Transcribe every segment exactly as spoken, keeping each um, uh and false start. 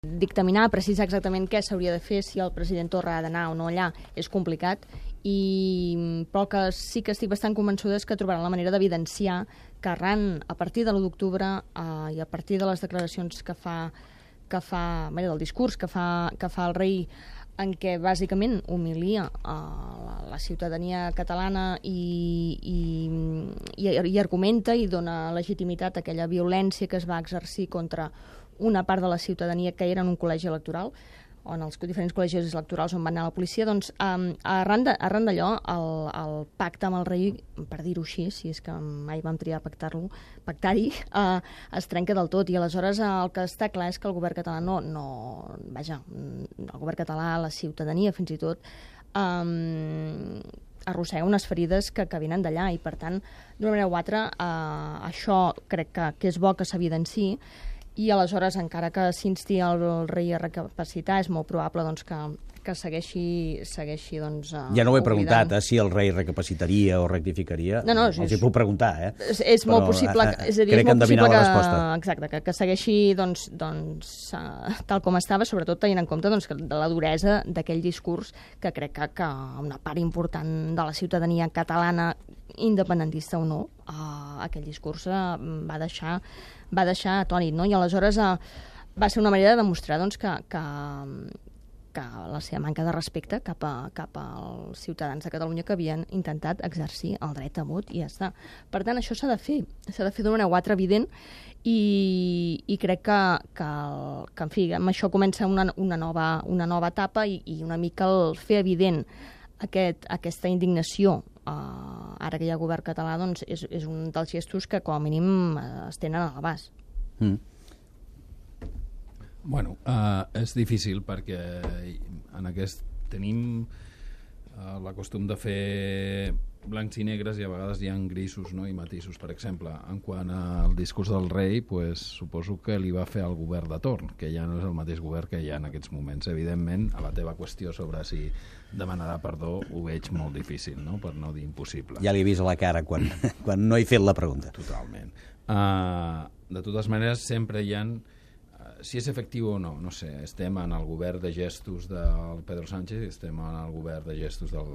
Dictaminar, precisar exactament què s'hauria de fer, si el president Torra ha d'anar o no allà, és complicat, i però que sí que estic bastant convençuda és que trobaran la manera d'evidenciar que arran, a partir de l'u d'octubre eh, i a partir de les declaracions que fa, que fa bé, del discurs que fa, que fa el rei, en què bàsicament humilia a la, la ciutadania catalana i, i, i, i argumenta i dona legitimitat a aquella violència que es va exercir contra una part de la ciutadania que era en un col·legi electoral, on els diferents col·legis electorals on va anar la policia, doncs um, arran d'allò el, el pacte amb el rei, per dir-ho així, si és que mai vam triar pactar-lo, pactar-hi, uh, es trenca del tot, i aleshores el que està clar és que el govern català no, no vaja, el govern català, la ciutadania fins i tot, um, arrossega unes ferides que, que venen d'allà, i per tant, d'una manera o altra, uh, això crec que, que és bo que s'evidenciï. I aleshores, encara que s'insti el, el rei a recapacitar, és molt probable doncs, que, que segueixi... segueixi doncs, uh, ja no ho he oblidant. preguntat, eh, si el rei recapacitaria o rectificaria. No, no, els és, hi puc preguntar, eh? És, és molt Però, possible, eh, és a dir, crec és molt que possible endevinar que, la resposta. exacte, que, que segueixi doncs, doncs, uh, tal com estava, sobretot tenint en compte doncs, que de la duresa d'aquell discurs que crec que, que una part important de la ciutadania catalana, independentista o no, uh, aquell discurs uh, va deixar va deixar atònit, no? I aleshores uh, va ser una manera de demostrar doncs, que, que, que la seva manca de respecte cap, a, cap als ciutadans de Catalunya que havien intentat exercir el dret a vot, i ja està. Per tant, això s'ha de fer, s'ha de fer d'una manera o altra evident, i, i crec que, que, que, en fi, amb això comença una, una, nova, una nova etapa, i, i una mica el fer evident aquest, aquesta indignació Uh, ara que hi ha govern català, doncs és, és un dels gestos que com a mínim uh, es tenen a l'abast. Mm. Bueno, uh, és difícil perquè en aquest tenim uh, la costum de fer blancs i negres, i a vegades hi ha grisos, no? I matisos. Per exemple, en quant al discurs del rei, pues, suposo que li va fer el govern de torn, que ja no és el mateix govern que hi ha en aquests moments. Evidentment, a la teva qüestió sobre si demanarà perdó ho veig molt difícil, no? Per no dir impossible. Ja li he vist a la cara quan, quan no he fet la pregunta. Totalment. Uh, de totes maneres, sempre hi ha... Uh, si és efectiu o no, no sé, estem en el govern de gestos del Pedro Sánchez, estem en el govern de gestos del,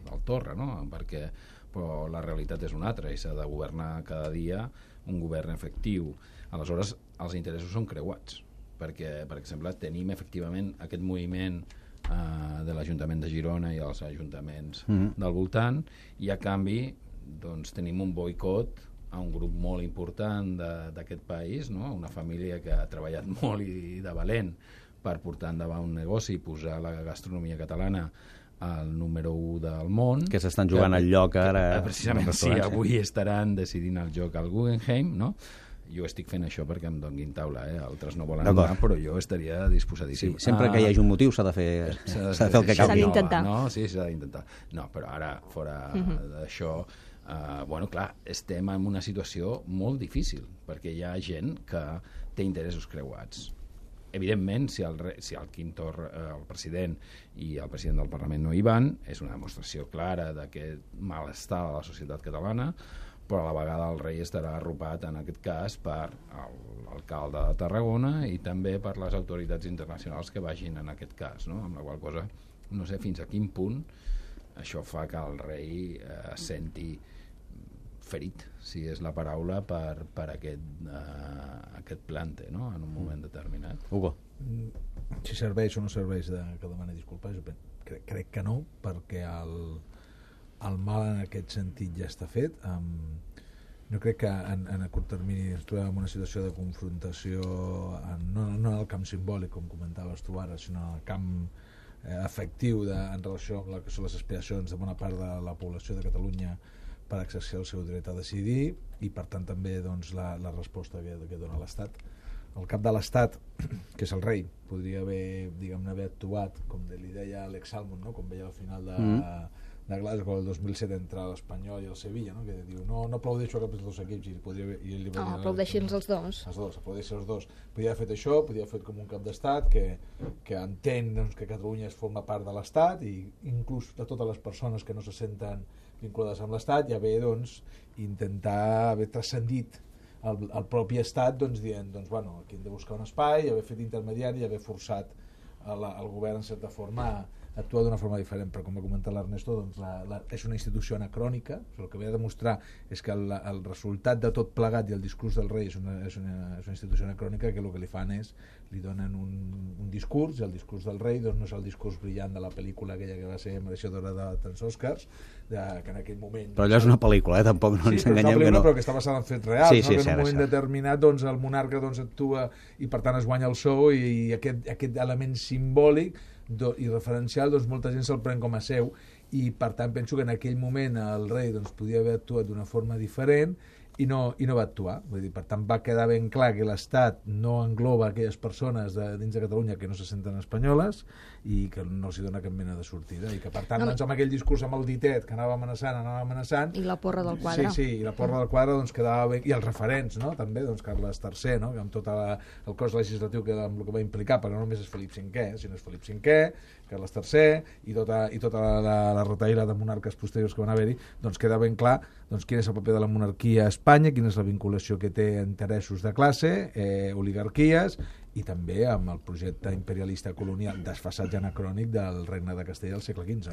del Torra, no? Perquè però la realitat és una altra, i s'ha de governar cada dia un govern efectiu. Aleshores, els interessos són creuats, perquè, per exemple, tenim efectivament aquest moviment Uh, de l'Ajuntament de Girona i els ajuntaments mm-hmm. del voltant, i a canvi doncs, tenim un boicot a un grup molt important d'aquest país, no? Una família que ha treballat molt i de valent per portar endavant un negoci i posar la gastronomia catalana al número u del món. Que s'estan jugant al lloc ara. Que, precisament, sí, avui estaran decidint el joc al Guggenheim, no? Jo estic fent això perquè em donguin taula, eh? Altres no volen anar, però jo estaria disposadíssim. Sí, sempre ah, que hi hagi un motiu s'ha de fer, s'ha de fer el que calgui. S'ha d'intentar. No? Sí, s'ha d'intentar. No, però ara, fora uh-huh. d'això, uh, bueno, clar, estem en una situació molt difícil, perquè hi ha gent que té interessos creuats. Evidentment, si el, si el Quim Torra, el president i el president del Parlament no hi van, és una demostració clara d'aquest malestar de la societat catalana, però a la vegada el rei estarà arropat en aquest cas per l'alcalde de Tarragona i també per les autoritats internacionals que vagin en aquest cas, no? Amb la qual cosa no sé fins a quin punt això fa que el rei eh, es senti ferit, si és la paraula, per, per aquest, eh, aquest plante, no? En un moment determinat. Hugo. Si serveix o no serveix de, que demani disculpes, crec, crec que no, perquè el el mal en aquest sentit ja està fet. Um, no crec que en, en a curt termini ens trobem en una situació de confrontació en, no, no en el camp simbòlic, com comentaves tu ara, sinó en el camp eh, efectiu de, en relació amb la que són les aspiracions de bona part de la població de Catalunya per exercir el seu dret a decidir, i per tant també doncs, la, la resposta que, que dona l'Estat. El cap de l'Estat, que és el rei, podria haver, diguem-ne, haver actuat, com li deia Alex Salmond, no? Com veia al final de... Mm. de Glasgow el dos mil set entre l'Espanyol i el Sevilla, no? Que diu, no, no aplaudeixo a cap dels dos equips, i, podria, i ell li va no, dir, aplaudeixin els dos. Els dos, aplaudeixin els dos. Podria haver fet això, podria haver fet com un cap d'estat que, que entén doncs, que Catalunya es forma part de l'Estat, i inclús de totes les persones que no se senten vinculades amb l'Estat, ja ve doncs, intentar haver transcendit el, el propi estat doncs, dient, doncs, bueno, aquí hem de buscar un espai, haver fet intermediari i haver forçat el, el govern en certa forma a actuar d'una forma diferent, però com va comentar l'Ernesto, doncs la, la, és una institució anacrònica. El que ve a demostrar és que el, el resultat de tot plegat i el discurs del rei és una, és una, és una institució anacrònica, que el que li fan és li donen un, un discurs, i el discurs del rei doncs, no és el discurs brillant de la pel·lícula aquella que va ser mereixedora de tants Oscars, de, que en aquell moment... Però allò és una pel·lícula, eh? Tampoc no sí, ens enganyem que no. Però que està basada en fets reals, sí, sí, no? Que en un cert, moment cert. determinat doncs, el monarca doncs, actua i per tant es guanya el sou, i, i aquest, aquest element simbòlic do, i referencial doncs, molta gent se'l pren com a seu, i per tant penso que en aquell moment el rei doncs, podia haver actuat d'una forma diferent i no, i no va actuar. Vull dir, per tant va quedar ben clar que l'Estat no engloba aquelles persones de, dins de Catalunya que no se senten espanyoles i que no els dona cap mena de sortida, i que per tant no, doncs, amb aquell discurs amb el ditet que anava amenaçant, anava amenaçant, i la porra del quadre. Sí, sí, i la porra del quadre doncs, quedava ben... i els referents, no? També, doncs, Carles tercer, no? Que amb tot la, el cos legislatiu que, amb el que va implicar, perquè no només és Felip cinquè, sinó és Felip cinquè, Carles tercer i tota, i tota la, la, la retaïla de monarques posteriors que van haver-hi, doncs queda ben clar doncs, quin és el paper de la monarquia a Espanya, quina és la vinculació que té a interessos de classe, eh, oligarquies, i també amb el projecte imperialista colonial desfasat i anacrònic del regne de Castella al segle quinze.